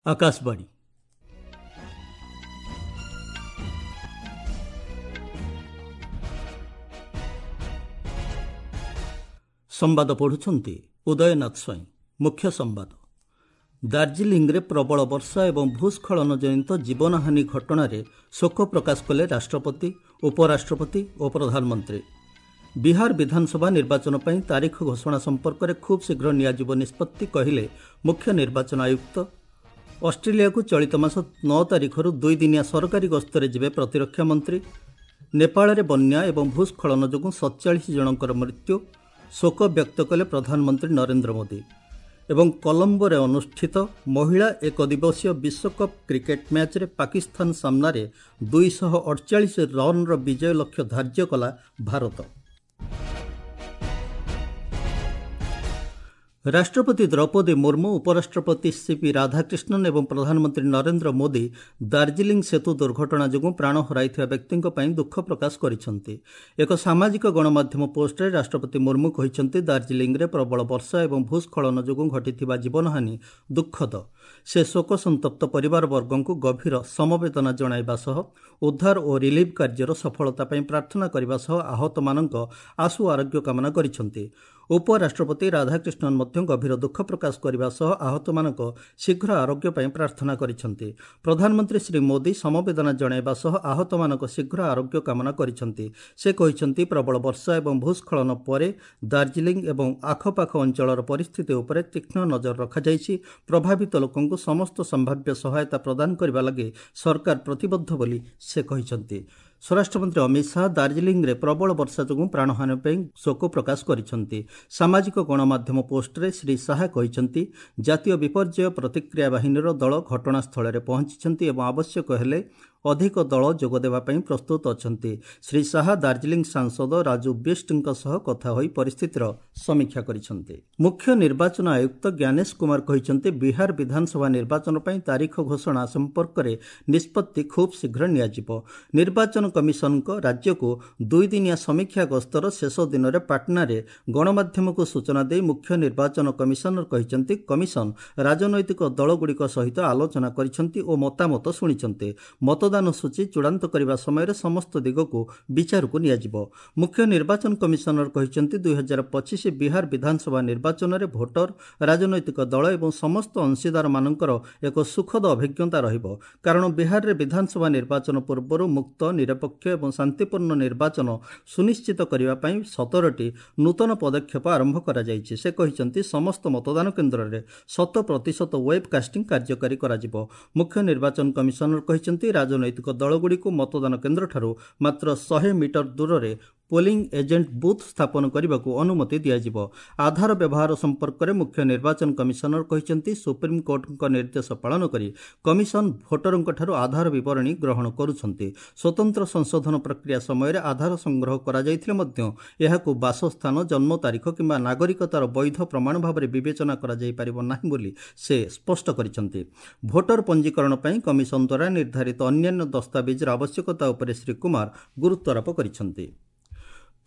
ଆକାଶବାଣୀ। ସମ୍ବାଦ ପଢ଼ୁଛନ୍ତି ଉଦୟନାଥ ସ୍ୱାଇଁ। ମୁଖ୍ୟ ସମ୍ବାଦ। ଦାର୍ଜିଲିଂରେ ପ୍ରବଳ ବର୍ଷା ଏବଂ ଭୂସ୍ଖଳନ ଜନିତ ଜୀବନହାନି ଘଟଣାରେ ଶୋକ ପ୍ରକାଶ କଲେ ରାଷ୍ଟ୍ରପତି, ଉପରାଷ୍ଟ୍ରପତି ଓ ପ୍ରଧାନମନ୍ତ୍ରୀ। ବିହାର ବିଧାନସଭା ନିର୍ବାଚନ ପାଇଁ ତାରିଖ ଘୋଷଣା ସମ୍ପର୍କରେ ଖୁବ୍ ଶୀଘ୍ର ନିଆଯିବ ନିଷ୍ପତ୍ତି, କହିଲେ ମୁଖ୍ୟ ନିର୍ବାଚନ ଆୟୁକ୍ତ। ଅଷ୍ଟ୍ରେଲିଆକୁ ଚଳିତ ମାସ 9 ତାରିଖରୁ ଦୁଇଦିନିଆ ସରକାରୀ ଗସ୍ତରେ ଯିବେ ପ୍ରତିରକ୍ଷା ମନ୍ତ୍ରୀ। ନେପାଳରେ ବନ୍ୟା ଏବଂ ଭୂସ୍ଖଳନ ଯୋଗୁଁ 47 ଜଣଙ୍କର ମୃତ୍ୟୁ, ଶୋକ ବ୍ୟକ୍ତ କଲେ ପ୍ରଧାନମନ୍ତ୍ରୀ ନରେନ୍ଦ୍ର ମୋଦି। ଏବଂ କଲମ୍ବୋରେ ଅନୁଷ୍ଠିତ ମହିଳା ଏକଦିବସୀୟ ବିଶ୍ୱକପ୍ କ୍ରିକେଟ୍ ମ୍ୟାଚ୍ରେ ପାକିସ୍ତାନ ସାମ୍ନାରେ 248 ରନ୍ର ବିଜୟ ଲକ୍ଷ୍ୟ ଧାର୍ଯ୍ୟ କଲା ଭାରତ। ରାଷ୍ଟ୍ରପତି ଦ୍ରୌପଦୀ ମୁର୍ମୁ, ଉପରାଷ୍ଟ୍ରପତି ସିପି ରାଧାକ୍ରିଷ୍ଣନ୍ ଏବଂ ପ୍ରଧାନମନ୍ତ୍ରୀ ନରେନ୍ଦ୍ର ମୋଦି ଦାର୍ଜିଲିଂ ସେତୁ ଦୁର୍ଘଟଣା ଯୋଗୁଁ ପ୍ରାଣ ହରାଇଥିବା ବ୍ୟକ୍ତିଙ୍କ ପାଇଁ ଦୁଃଖ ପ୍ରକାଶ କରିଛନ୍ତି। ଏକ ସାମାଜିକ ଗଣମାଧ୍ୟମ ପୋଷ୍ଟରେ ରାଷ୍ଟ୍ରପତି ମୁର୍ମୁ କହିଛନ୍ତି, ଦାର୍ଜିଲିଂରେ ପ୍ରବଳ ବର୍ଷା ଏବଂ ଭୂସ୍ଖଳନ ଯୋଗୁଁ ଘଟିଥିବା ଜୀବନହାନି ଦୁଃଖଦ। ସେ ଶୋକସନ୍ତପ୍ତ ପରିବାରବର୍ଗଙ୍କୁ ଗଭୀର ସମବେଦନା ଜଣାଇବା ସହ ଉଦ୍ଧାର ଓ ରିଲିଫ୍ କାର୍ଯ୍ୟର ସଫଳତା ପାଇଁ ପ୍ରାର୍ଥନା କରିବା ସହ ଆହତମାନଙ୍କ ଆଶୁ ଆରୋଗ୍ୟ କାମନା କରିଛନ୍ତି। ଉପରାଷ୍ଟ୍ରପତି ରାଧାକ୍ରିଷ୍ଣନ୍ ମଧ୍ୟ ଗଭୀର ଦୁଃଖ ପ୍ରକାଶ କରିବା ସହ ଆହତମାନଙ୍କ ଶୀଘ୍ର ଆରୋଗ୍ୟ ପାଇଁ ପ୍ରାର୍ଥନା କରିଛନ୍ତି। ପ୍ରଧାନମନ୍ତ୍ରୀ ଶ୍ରୀ ମୋଦି ସମବେଦନା ଜଣାଇବା ସହ ଆହତମାନଙ୍କ ଶୀଘ୍ର ଆରୋଗ୍ୟ କାମନା କରିଛନ୍ତି। ସେ କହିଛନ୍ତି, ପ୍ରବଳ ବର୍ଷା ଏବଂ ଭୂସ୍ଖଳନ ପରେ ଦାର୍ଜିଲିଂ ଏବଂ ଆଖପାଖ ଅଞ୍ଚଳର ପରିସ୍ଥିତି ଉପରେ ତୀକ୍ଷ୍ଣ ନଜର ରଖାଯାଇଛି। ପ୍ରଭାବିତ ଲୋକଙ୍କୁ ସମସ୍ତ ସମ୍ଭାବ୍ୟ ସହାୟତା ପ୍ରଦାନ କରିବା ଲାଗି ସରକାର ପ୍ରତିବଦ୍ଧ ବୋଲି ସେ କହିଛନ୍ତି। ସ୍ୱରାଷ୍ଟ୍ରମନ୍ତ୍ରୀ ଅମିତ ଶାହା ଦାର୍ଜିଲିଂରେ ପ୍ରବଳ ବର୍ଷା ଯୋଗୁଁ ପ୍ରାଣହାନି ପାଇଁ ଶୋକ ପ୍ରକାଶ କରିଛନ୍ତି। ସାମାଜିକ ଗଣମାଧ୍ୟମ ପୋଷ୍ଟରେ ଶ୍ରୀ ଶାହା କହିଛନ୍ତି, ଜାତୀୟ ବିପର୍ଯ୍ୟୟ ପ୍ରତିକ୍ରିୟା ବାହିନୀର ଦଳ ଘଟଣାସ୍ଥଳରେ ପହଞ୍ଚିଛନ୍ତି ଏବଂ ଆବଶ୍ୟକ ହେଲେ ଅଧିକ ଦଳ ଯୋଗଦେବା ପାଇଁ ପ୍ରସ୍ତୁତ ଅଛନ୍ତି। ଶ୍ରୀ ଶାହା ଦାର୍ଜିଲିଂ ସାଂସଦ ରାଜୁ ବିଷ୍ଟଙ୍କ ସହ କଥା ହୋଇ ପରିସ୍ଥିତିର ସମୀକ୍ଷା କରିଛନ୍ତି। ମୁଖ୍ୟ ନିର୍ବାଚନ ଆୟୁକ୍ତ ଜ୍ଞାନେଶ କୁମାର କହିଛନ୍ତି, ବିହାର ବିଧାନସଭା ନିର୍ବାଚନ ପାଇଁ ତାରିଖ ଘୋଷଣା ସମ୍ପର୍କରେ ନିଷ୍ପତ୍ତି ଖୁବ୍ ଶୀଘ୍ର ନିଆଯିବ। ନିର୍ବାଚନ କମିଶନଙ୍କ ରାଜ୍ୟକୁ ଦୁଇଦିନିଆ ସମୀକ୍ଷା ଗସ୍ତର ଶେଷ ଦିନରେ ପାଟନାରେ ଗଣମାଧ୍ୟମକୁ ସୂଚନା ଦେଇ ମୁଖ୍ୟ ନିର୍ବାଚନ କମିଶନର କହିଛନ୍ତି, କମିଶନ ରାଜନୈତିକ ଦଳଗୁଡ଼ିକ ସହିତ ଆଲୋଚନା କରିଛନ୍ତି ଓ ମତାମତ ଶୁଣିଛନ୍ତି। ମତଦାନ ସୂଚୀ ଚୂଡ଼ାନ୍ତ କରିବା ସମୟରେ ସମସ୍ତ ଦିଗକୁ ବିଚାରକୁ ନିଆଯିବ। ମୁଖ୍ୟ ନିର୍ବାଚନ କମିଶନର କହିଛନ୍ତି, 2025 ବିହାର ବିଧାନସଭା ନିର୍ବାଚନରେ ଭୋଟର, ରାଜନୈତିକ ଦଳ ଏବଂ ସମସ୍ତ ଅଂଶୀଦାରମାନଙ୍କର ଏକ ସୁଖଦ ଅଭିଜ୍ଞତା ରହିବ, କାରଣ ବିହାରରେ ବିଧାନସଭା ନିର୍ବାଚନ ପୂର୍ବରୁ ମୁକ୍ତ, ନିରପେକ୍ଷ ଏବଂ ଶାନ୍ତିପୂର୍ଣ୍ଣ ନିର୍ବାଚନ ସୁନିଶ୍ଚିତ କରିବା ପାଇଁ 17ଟି ନୂତନ ପଦକ୍ଷେପ ଆରମ୍ଭ କରାଯାଇଛି। ସେ କହିଛନ୍ତି, ସମସ୍ତ ମତଦାନ କେନ୍ଦ୍ରରେ 100% ୱେବ୍ କାଷ୍ଟିଂ କାର୍ଯ୍ୟକାରୀ କରାଯିବ। ମୁଖ୍ୟ ନିର୍ବାଚନ କମିଶନର କହିଛନ୍ତି, ରାଜନୈତିକ ଦଳଗୁଡ଼ିକୁ ମତଦାନ କେନ୍ଦ୍ରଠାରୁ ମାତ୍ର 100 ମିଟର ଦୂରରେ ପୋଲିଂ ଏଜେଣ୍ଟ ବୁଥ୍ ସ୍ଥାପନ କରିବାକୁ ଅନୁମତି ଦିଆଯିବ। ଆଧାର ବ୍ୟବହାର ସମ୍ପର୍କରେ ମୁଖ୍ୟ ନିର୍ବାଚନ କମିଶନର କହିଛନ୍ତି, ସୁପ୍ରିମକୋର୍ଟଙ୍କ ନିର୍ଦ୍ଦେଶ ପାଳନ କରି କମିଶନ ଭୋଟରଙ୍କଠାରୁ ଆଧାର ବିବରଣୀ ଗ୍ରହଣ କରୁଛନ୍ତି। ସ୍ୱତନ୍ତ୍ର ସଂଶୋଧନ ପ୍ରକ୍ରିୟା ସମୟରେ ଆଧାର ସଂଗ୍ରହ କରାଯାଇଥିଲେ ମଧ୍ୟ ଏହାକୁ ବାସସ୍ଥାନ, ଜନ୍ମ ତାରିଖ କିମ୍ବା ନାଗରିକତାର ବୈଧ ପ୍ରମାଣ ଭାବରେ ବିବେଚନା କରାଯାଇପାରିବ ନାହିଁ ବୋଲି ସେ ସ୍ପଷ୍ଟ କରିଛନ୍ତି। ଭୋଟର ପଞ୍ଜୀକରଣ ପାଇଁ କମିଶନ ଦ୍ୱାରା ନିର୍ଦ୍ଧାରିତ ଅନ୍ୟାନ୍ୟ ଦସ୍ତାବିଜର ଆବଶ୍ୟକତା ଉପରେ ଶ୍ରୀ କୁମାର ଗୁରୁତ୍ୱାରୋପ କରିଛନ୍ତି।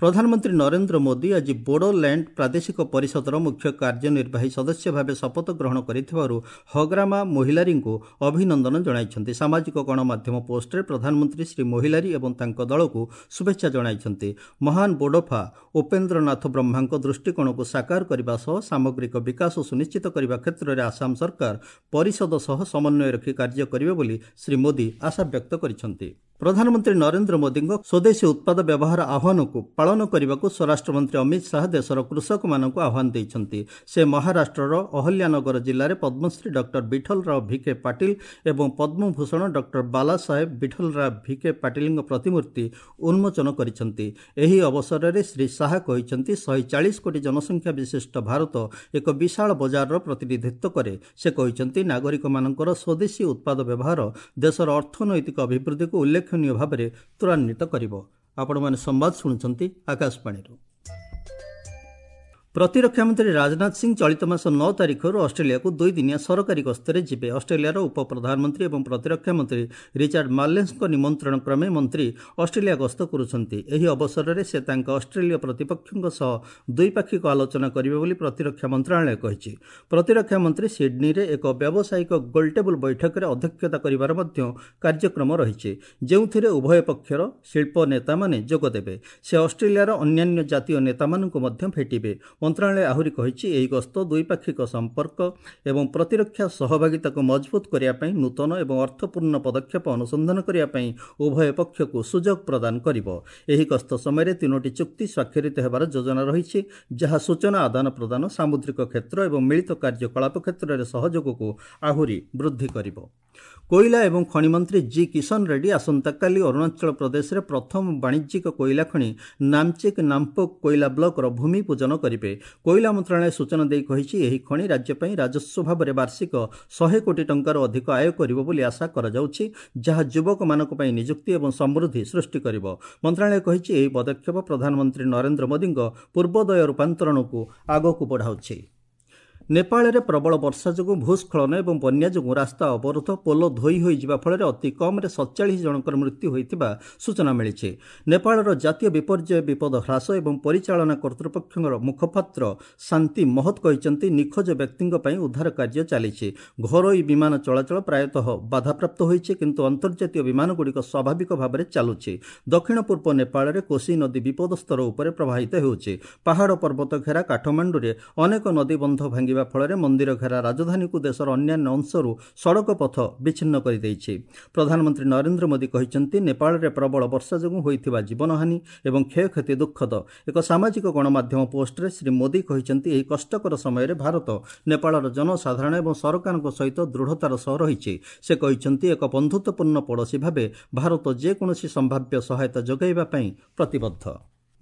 ପ୍ରଧାନମନ୍ତ୍ରୀ ନରେନ୍ଦ୍ର ମୋଦି ଆଜି ବୋଡୋଲ୍ୟାଣ୍ଡ ପ୍ରାଦେଶିକ ପରିଷଦର ମୁଖ୍ୟ କାର୍ଯ୍ୟନିର୍ବାହୀ ସଦସ୍ୟ ଭାବେ ଶପଥ ଗ୍ରହଣ କରିଥିବାରୁ ହଗ୍ରାମା ମୋହିଲାରୀଙ୍କୁ ଅଭିନନ୍ଦନ ଜଣାଇଛନ୍ତି। ସାମାଜିକ ଗଣମାଧ୍ୟମ ପୋଷ୍ଟରେ ପ୍ରଧାନମନ୍ତ୍ରୀ ଶ୍ରୀ ମୋହିଲାରୀ ଏବଂ ତାଙ୍କ ଦଳକୁ ଶୁଭେଚ୍ଛା ଜଣାଇଛନ୍ତି। ମହାନ ବୋଡୋଫା ଉପେନ୍ଦ୍ରନାଥ ବ୍ରହ୍ମାଙ୍କ ଦୃଷ୍ଟିକୋଣକୁ ସାକାର କରିବା ସହ ସାମଗ୍ରିକ ବିକାଶ ସୁନିଶ୍ଚିତ କରିବା କ୍ଷେତ୍ରରେ ଆସାମ ସରକାର ପରିଷଦ ସହ ସମନ୍ୱୟ ରଖି କାର୍ଯ୍ୟ କରିବେ ବୋଲି ଶ୍ରୀ ମୋଦି ଆଶାବ୍ୟକ୍ତ କରିଛନ୍ତି। ପ୍ରଧାନମନ୍ତ୍ରୀ ନରେନ୍ଦ୍ର ମୋଦିଙ୍କ ସ୍ୱଦେଶୀ ଉତ୍ପାଦ ବ୍ୟବହାର ଆହ୍ୱାନକୁ ପାଳନ କରିବାକୁ ସ୍ୱରାଷ୍ଟ୍ରମନ୍ତ୍ରୀ ଅମିତ ଶାହା ଦେଶର କୃଷକମାନଙ୍କୁ ଆହ୍ୱାନ ଦେଇଛନ୍ତି। ସେ ମହାରାଷ୍ଟ୍ରର ଅହଲ୍ୟାନଗର ଜିଲ୍ଲାରେ ପଦ୍ମଶ୍ରୀ ଡକ୍ଟର ବିଠଲରାଓ ଭିକେ ପାଟିଲ ଏବଂ ପଦ୍ମଭୂଷଣ ଡକ୍ଟର ବାଲାସାହେବ ବିଠଲରାଓ ଭିକେ ପାଟିଲଙ୍କ ପ୍ରତିମୂର୍ତ୍ତି ଉନ୍ମୋଚନ କରିଛନ୍ତି। ଏହି ଅବସରରେ ଶ୍ରୀ ଶାହା କହିଛନ୍ତି, 140 କୋଟି ଜନସଂଖ୍ୟା ବିଶିଷ୍ଟ ଭାରତ ଏକ ବିଶାଳ ବଜାରର ପ୍ରତିନିଧିତ୍ୱ କରେ। ସେ କହିଛନ୍ତି, ନାଗରିକମାନଙ୍କର ସ୍ୱଦେଶୀ ଉତ୍ପାଦ ବ୍ୟବହାର ଦେଶର ଅର୍ଥନୈତିକ ଅଭିବୃଦ୍ଧିକୁ ଉଲ୍ଲେଖନୀୟ ଭାବରେ ତ୍ୱରାନ୍ୱିତ କରିବ। ଆପଣମାନେ ସମ୍ବାଦ ଶୁଣୁଛନ୍ତି ଆକାଶବାଣୀରୁ। ପ୍ରତିରକ୍ଷା ମନ୍ତ୍ରୀ ରାଜନାଥ ସିଂ ଚଳିତ ମାସ 9 ତାରିଖରୁ ଅଷ୍ଟ୍ରେଲିଆକୁ 2 ଦିନିଆ ସରକାରୀ ଗସ୍ତରେ ଯିବେ। ଅଷ୍ଟ୍ରେଲିଆର ଉପପ୍ରଧାନମନ୍ତ୍ରୀ ଏବଂ ପ୍ରତିରକ୍ଷା ମନ୍ତ୍ରୀ ରିଚାର୍ଡ ମାର୍ଲେନ୍ସଙ୍କ ନିମନ୍ତ୍ରଣ କ୍ରମେ ମନ୍ତ୍ରୀ ଅଷ୍ଟ୍ରେଲିଆ ଗସ୍ତ କରୁଛନ୍ତି। ଏହି ଅବସରରେ ସେ ତାଙ୍କ ଅଷ୍ଟ୍ରେଲୀୟ ପ୍ରତିପକ୍ଷଙ୍କ ସହ ଦ୍ୱିପାକ୍ଷିକ ଆଲୋଚନା କରିବେ ବୋଲି ପ୍ରତିରକ୍ଷା ମନ୍ତ୍ରଣାଳୟ କହିଛି। ପ୍ରତିରକ୍ଷା ମନ୍ତ୍ରୀ ସିଡ୍ନୀରେ ଏକ ବ୍ୟାବସାୟିକ ଗୋଲଟେବୁଲ ବୈଠକରେ ଅଧ୍ୟକ୍ଷତା କରିବାର ମଧ୍ୟ କାର୍ଯ୍ୟକ୍ରମ ରହିଛି, ଯେଉଁଥିରେ ଉଭୟ ପକ୍ଷର ଶିଳ୍ପ ନେତାମାନେ ଯୋଗଦେବେ। ସେ ଅଷ୍ଟ୍ରେଲିଆର ଅନ୍ୟାନ୍ୟ ଜାତୀୟ ନେତାମାନଙ୍କୁ ମଧ୍ୟ ଭେଟିବେ। ମନ୍ତ୍ରଣାଳୟ ଆହୁରି କହିଛି, ଏହି ଗସ୍ତ ଦ୍ୱିପାକ୍ଷିକ ସମ୍ପର୍କ ଏବଂ ପ୍ରତିରକ୍ଷା ସହଭାଗିତାକୁ ମଜବୁତ କରିବା ପାଇଁ ନୂତନ ଏବଂ ଅର୍ଥପୂର୍ଣ୍ଣ ପଦକ୍ଷେପ ଅନୁସନ୍ଧାନ କରିବା ପାଇଁ ଉଭୟ ପକ୍ଷକୁ ସୁଯୋଗ ପ୍ରଦାନ କରିବ। ଏହି ଗସ୍ତ ସମୟରେ 3ଟି ଚୁକ୍ତି ସ୍ୱାକ୍ଷରିତ ହେବାର ଯୋଜନା ରହିଛି, ଯାହା ସୂଚନା ଆଦାନ ପ୍ରଦାନ, ସାମୁଦ୍ରିକ କ୍ଷେତ୍ର ଏବଂ ମିଳିତ କାର୍ଯ୍ୟକଳାପ କ୍ଷେତ୍ରରେ ସହଯୋଗକୁ ଆହୁରି ବୃଦ୍ଧି କରିବ। କୋଇଲା ଏବଂ ଖଣି ମନ୍ତ୍ରୀ ଜି କିଶନ ରେଡ୍ଡି ଆସନ୍ତାକାଲି ଅରୁଣାଚଳ ପ୍ରଦେଶରେ ପ୍ରଥମ ବାଣିଜ୍ୟିକ କୋଇଲା ଖଣି ନାମଚିକ୍ ନାମ୍ପୋକ୍ କୋଇଲା ବ୍ଲକର ଭୂମି ପୂଜନ କରିବେ। କୋଇଲା ମନ୍ତ୍ରଣାଳୟ ସୂଚନା ଦେଇ କହିଛି, ଏହି ଖଣି ରାଜ୍ୟ ପାଇଁ ରାଜସ୍ୱ ଭାବରେ ବାର୍ଷିକ 100 କୋଟି ଟଙ୍କାରୁ ଅଧିକ ଆୟ କରିବ ବୋଲି ଆଶା କରାଯାଉଛି, ଯାହା ଯୁବକମାନଙ୍କ ପାଇଁ ନିଯୁକ୍ତି ଏବଂ ସମୃଦ୍ଧି ସୃଷ୍ଟି କରିବ। ମନ୍ତ୍ରଣାଳୟ କହିଛି, ଏହି ପଦକ୍ଷେପ ପ୍ରଧାନମନ୍ତ୍ରୀ ନରେନ୍ଦ୍ର ମୋଦିଙ୍କ ପୂର୍ବୋଦୟ ରୂପାନ୍ତରଣକୁ ଆଗକୁ ବଢ଼ାଉଛି। ନେପାଳରେ ପ୍ରବଳ ବର୍ଷା ଯୋଗୁଁ ଭୂସ୍ଖଳନ ଏବଂ ବନ୍ୟା ଯୋଗୁଁ ରାସ୍ତା ଅବରୋଧ, ପୋଲ ଧୋଇ ହୋଇଯିବା ଫଳରେ ଅତି କମ୍ରେ 47 ଜଣଙ୍କର ମୃତ୍ୟୁ ହୋଇଥିବା ସୂଚନା ମିଳିଛି। ନେପାଳର ଜାତୀୟ ବିପର୍ଯ୍ୟୟ ବିପଦ ହ୍ରାସ ଏବଂ ପରିଚାଳନା କର୍ତ୍ତୃପକ୍ଷଙ୍କର ମୁଖପାତ୍ର ଶାନ୍ତି ମହତ କହିଛନ୍ତି, ନିଖୋଜ ବ୍ୟକ୍ତିଙ୍କ ପାଇଁ ଉଦ୍ଧାର କାର୍ଯ୍ୟ ଚାଲିଛି। ଘରୋଇ ବିମାନ ଚଳାଚଳ ପ୍ରାୟତଃ ବାଧାପ୍ରାପ୍ତ ହୋଇଛି, କିନ୍ତୁ ଅନ୍ତର୍ଜାତୀୟ ବିମାନଗୁଡ଼ିକ ସ୍ୱାଭାବିକ ଭାବରେ ଚାଲୁଛି। ଦକ୍ଷିଣ ପୂର୍ବ ନେପାଳରେ କୋସି ନଦୀ ବିପଦ ସ୍ତର ଉପରେ ପ୍ରବାହିତ ହେଉଛି। ପାହାଡ଼ ପର୍ବତ ଘେରା କାଠମାଣ୍ଡୁରେ ଅନେକ ନଦୀବନ୍ଧ ଭାଙ୍ଗିବା ଫଳରେ ମନ୍ଦିର ଘେରା ରାଜଧାନୀକୁ ଦେଶର ଅନ୍ୟାନ୍ୟ ଅଂଶରୁ ସଡ଼କ ପଥ ବିଚ୍ଛିନ୍ନ କରିଦେଇଛି। ପ୍ରଧାନମନ୍ତ୍ରୀ ନରେନ୍ଦ୍ର ମୋଦି କହିଛନ୍ତି, ନେପାଳରେ ପ୍ରବଳ ବର୍ଷା ଯୋଗୁଁ ହୋଇଥିବା ଜୀବନହାନି ଏବଂ କ୍ଷୟକ୍ଷତି ଦୁଃଖଦ। ଏକ ସାମାଜିକ ଗଣମାଧ୍ୟମ ପୋଷ୍ଟରେ ଶ୍ରୀ ମୋଦି କହିଛନ୍ତି, ଏହି କଷ୍ଟକର ସମୟରେ ଭାରତ ନେପାଳର ଜନସାଧାରଣ ଏବଂ ସରକାରଙ୍କ ସହିତ ଦୃଢ଼ତାର ସହ ରହିଛି। ସେ କହିଛନ୍ତି, ଏକ ବନ୍ଧୁତ୍ୱପୂର୍ଣ୍ଣ ପଡ଼ୋଶୀ ଭାବେ ଭାରତ ଯେକୌଣସି ସମ୍ଭାବ୍ୟ ସହାୟତା ଯୋଗାଇବା ପାଇଁ ପ୍ରତିବଦ୍ଧ।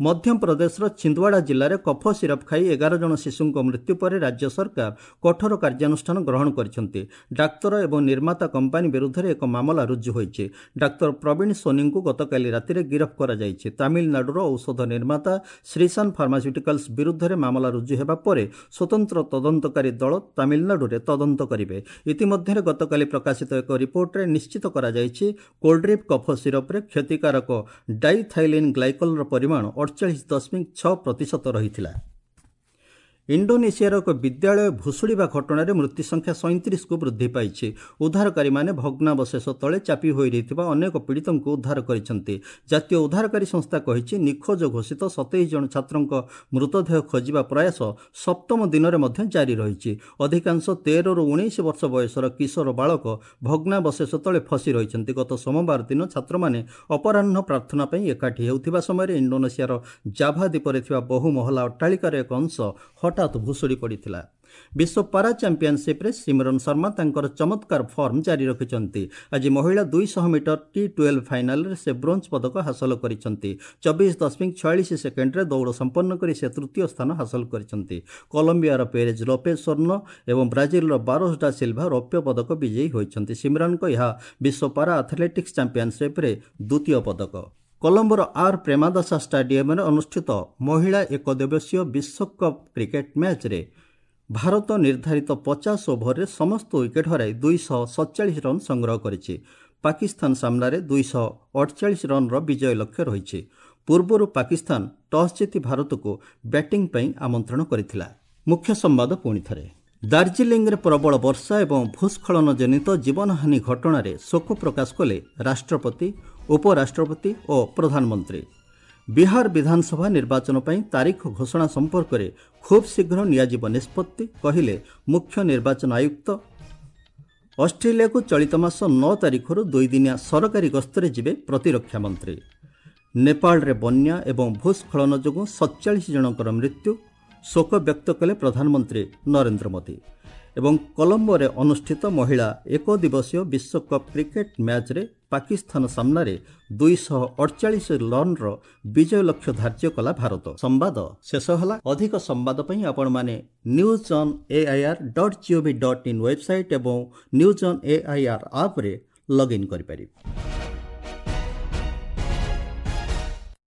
ମଧ୍ୟପ୍ରଦେଶର ଛିନ୍ଦୱାଡ଼ା ଜିଲ୍ଲାରେ କଫ ସିରପ୍ ଖାଇ 11 ଜଣ ଶିଶୁଙ୍କ ମୃତ୍ୟୁ ପରେ ରାଜ୍ୟ ସରକାର କଠୋର କାର୍ଯ୍ୟାନୁଷ୍ଠାନ ଗ୍ରହଣ କରିଛନ୍ତି। ଡାକ୍ତର ଏବଂ ନିର୍ମାତା କମ୍ପାନୀ ବିରୁଦ୍ଧରେ ଏକ ମାମଲା ରୁଜୁ ହୋଇଛି। ଡାକ୍ତର ପ୍ରବୀଣ ସୋନିଙ୍କୁ ଗତକାଲି ରାତିରେ ଗିରଫ କରାଯାଇଛି। ତାମିଲନାଡୁର ଔଷଧ ନିର୍ମାତା ଶ୍ରୀଶାନ ଫାର୍ମାସ୍ୟୁଟିକାଲ୍ସ ବିରୁଦ୍ଧରେ ମାମଲା ରୁଜୁ ହେବା ପରେ ସ୍ୱତନ୍ତ୍ର ତଦନ୍ତକାରୀ ଦଳ ତାମିଲନାଡୁରେ ତଦନ୍ତ କରିବେ। ଇତିମଧ୍ୟରେ ଗତକାଲି ପ୍ରକାଶିତ ଏକ ରିପୋର୍ଟରେ ନିଶ୍ଚିତ କରାଯାଇଛି, କୋଲ୍ଡ୍ରିପ୍ କଫ ସିରପ୍ରେ କ୍ଷତିକାରକ ଡାଇଥାଇଲିନ୍ ଗ୍ଲାଇକଲର ପରିମାଣ 48.6% ରହିଥିଲା। ଇଣ୍ଡୋନେସିଆର ଏକ ବିଦ୍ୟାଳୟ ଭୁଶୁଡ଼ିବା ଘଟଣାରେ ମୃତ୍ୟୁ ସଂଖ୍ୟା 37କୁ ବୃଦ୍ଧି ପାଇଛି। ଉଦ୍ଧାରକାରୀମାନେ ଭଗ୍ନାବଶେଷ ତଳେ ଚାପି ହୋଇ ରହିଥିବା ଅନେକ ପୀଡ଼ିତଙ୍କୁ ଉଦ୍ଧାର କରିଛନ୍ତି। ଜାତୀୟ ଉଦ୍ଧାରକାରୀ ସଂସ୍ଥା କହିଛି, ନିଖୋଜ ଘୋଷିତ 27 ଜଣ ଛାତ୍ରଙ୍କ ମୃତଦେହ ଖୋଜିବା ପ୍ରୟାସ ସପ୍ତମ ଦିନରେ ମଧ୍ୟ ଜାରି ରହିଛି। ଅଧିକାଂଶ 13ରୁ 19 ବର୍ଷ ବୟସର କିଶୋର ବାଳକ ଭଗ୍ନାବଶେଷ ତଳେ ଫସି ରହିଛନ୍ତି। ଗତ ସୋମବାର ଦିନ ଛାତ୍ରମାନେ ଅପରାହ୍ନ ପ୍ରାର୍ଥନା ପାଇଁ ଏକାଠି ହେଉଥିବା ସମୟରେ ଇଣ୍ଡୋନେସିଆର ଜାଭା ଦ୍ୱୀପରେ ଥିବା ବହୁ ମହଲା ଅଟ୍ଟାଳିକାର ଏକ ଅଂଶ ହଠାତ୍ ଭୁଶୁଡ଼ି ପଡ଼ିଥିଲା। ବିଶ୍ୱ ପାରା ଚାମ୍ପିୟନସିପ୍ରେ ସିମରନ ଶର୍ମା ତାଙ୍କର ଚମତ୍କାର ଫର୍ମ ଜାରି ରଖିଛନ୍ତି। ଆଜି ମହିଳା 200 ମିଟର T12 ଫାଇନାଲରେ ସେ ବ୍ରୋଞ୍ଜ ପଦକ ହାସଲ କରିଛନ୍ତି। 24.46 ସେକେଣ୍ଡରେ ଦୌଡ଼ ସମ୍ପନ୍ନ କରି ସେ ତୃତୀୟ ସ୍ଥାନ ହାସଲ କରିଛନ୍ତି। କଲମ୍ବିଆର ପେରେଜ ଲୋପେଜ ସ୍ୱର୍ଣ୍ଣ ଏବଂ ବ୍ରାଜିଲର ବାରୋସ ଡା ସିଲଭା ରୌପ୍ୟ ପଦକ ବିଜୟୀ ହୋଇଛନ୍ତି। ସିମରନଙ୍କ ଏହା ବିଶ୍ୱ ପାରା ଆଥଲେଟିକ୍ସ ଚାମ୍ପିୟନସିପ୍ରେ ଦ୍ୱିତୀୟ ପଦକ। କଲମ୍ବୋର ଆର୍ ପ୍ରେମାଦାସା ଷ୍ଟାଡିୟମରେ ଅନୁଷ୍ଠିତ ମହିଳା ଏକଦିବସୀୟ ବିଶ୍ୱକପ୍ କ୍ରିକେଟ୍ ମ୍ୟାଚ୍ରେ ଭାରତ ନିର୍ଦ୍ଧାରିତ 50 ଓଭରରେ ସମସ୍ତ ୱିକେଟ୍ ହରାଇ 247 ରନ୍ ସଂଗ୍ରହ କରିଛି। ପାକିସ୍ତାନ ସାମ୍ନାରେ 248 ରନ୍ର ବିଜୟ ଲକ୍ଷ୍ୟ ରହିଛି। ପୂର୍ବରୁ ପାକିସ୍ତାନ ଟସ୍ ଜିତି ଭାରତକୁ ବ୍ୟାଟିଂ ପାଇଁ ଆମନ୍ତ୍ରଣ କରିଥିଲା। ମୁଖ୍ୟ ସମ୍ବାଦ ପୁଣି ଥରେ। ଦାର୍ଜିଲିଂରେ ପ୍ରବଳ ବର୍ଷା ଏବଂ ଭୂସ୍ଖଳନ ଜନିତ ଜୀବନହାନି ଘଟଣାରେ ଶୋକ ପ୍ରକାଶ କଲେ ରାଷ୍ଟ୍ରପତି, ଉପରାଷ୍ଟ୍ରପତି ଓ ପ୍ରଧାନମନ୍ତ୍ରୀ। ବିହାର ବିଧାନସଭା ନିର୍ବାଚନ ପାଇଁ ତାରିଖ ଘୋଷଣା ସମ୍ପର୍କରେ ଖୁବ୍ ଶୀଘ୍ର ନିଆଯିବ ନିଷ୍ପତ୍ତି, କହିଲେ ମୁଖ୍ୟ ନିର୍ବାଚନ ଆୟୁକ୍ତ। ଅଷ୍ଟ୍ରେଲିଆକୁ ଚଳିତ ମାସ 9 ତାରିଖରୁ 2 ଦିନିଆ ସରକାରୀ ଗସ୍ତରେ ଯିବେ ପ୍ରତିରକ୍ଷା ମନ୍ତ୍ରୀ। ନେପାଳରେ ବନ୍ୟା ଏବଂ ଭୂସ୍ଖଳନ ଯୋଗୁଁ 47 ଜଣଙ୍କର ମୃତ୍ୟୁ, ଶୋକ ବ୍ୟକ୍ତ କଲେ ପ୍ରଧାନମନ୍ତ୍ରୀ ନରେନ୍ଦ୍ର ମୋଦି। ଏବଂ କଲମ୍ବୋରେ ଅନୁଷ୍ଠିତ ମହିଳା ଏକଦିବସୀୟ ବିଶ୍ୱକପ୍ କ୍ରିକେଟ୍ ମ୍ୟାଚ୍ରେ ପାକିସ୍ତାନ ସାମ୍ନାରେ 248 ରନ୍ର ବିଜୟ ଲକ୍ଷ୍ୟ ଧାର୍ଯ୍ୟ କଲା ଭାରତ। ସମ୍ବାଦ ଶେଷ ହେଲା। ଅଧିକ ସମ୍ବାଦ ପାଇଁ ଆପଣମାନେ news on air.gov.in website ଏବଂ ନ୍ୟୁଜ୍ ଅନ୍ ଏଆଇଆର୍ ଆପ୍ରେ ଲଗ୍ଇନ୍ କରିପାରିବେ।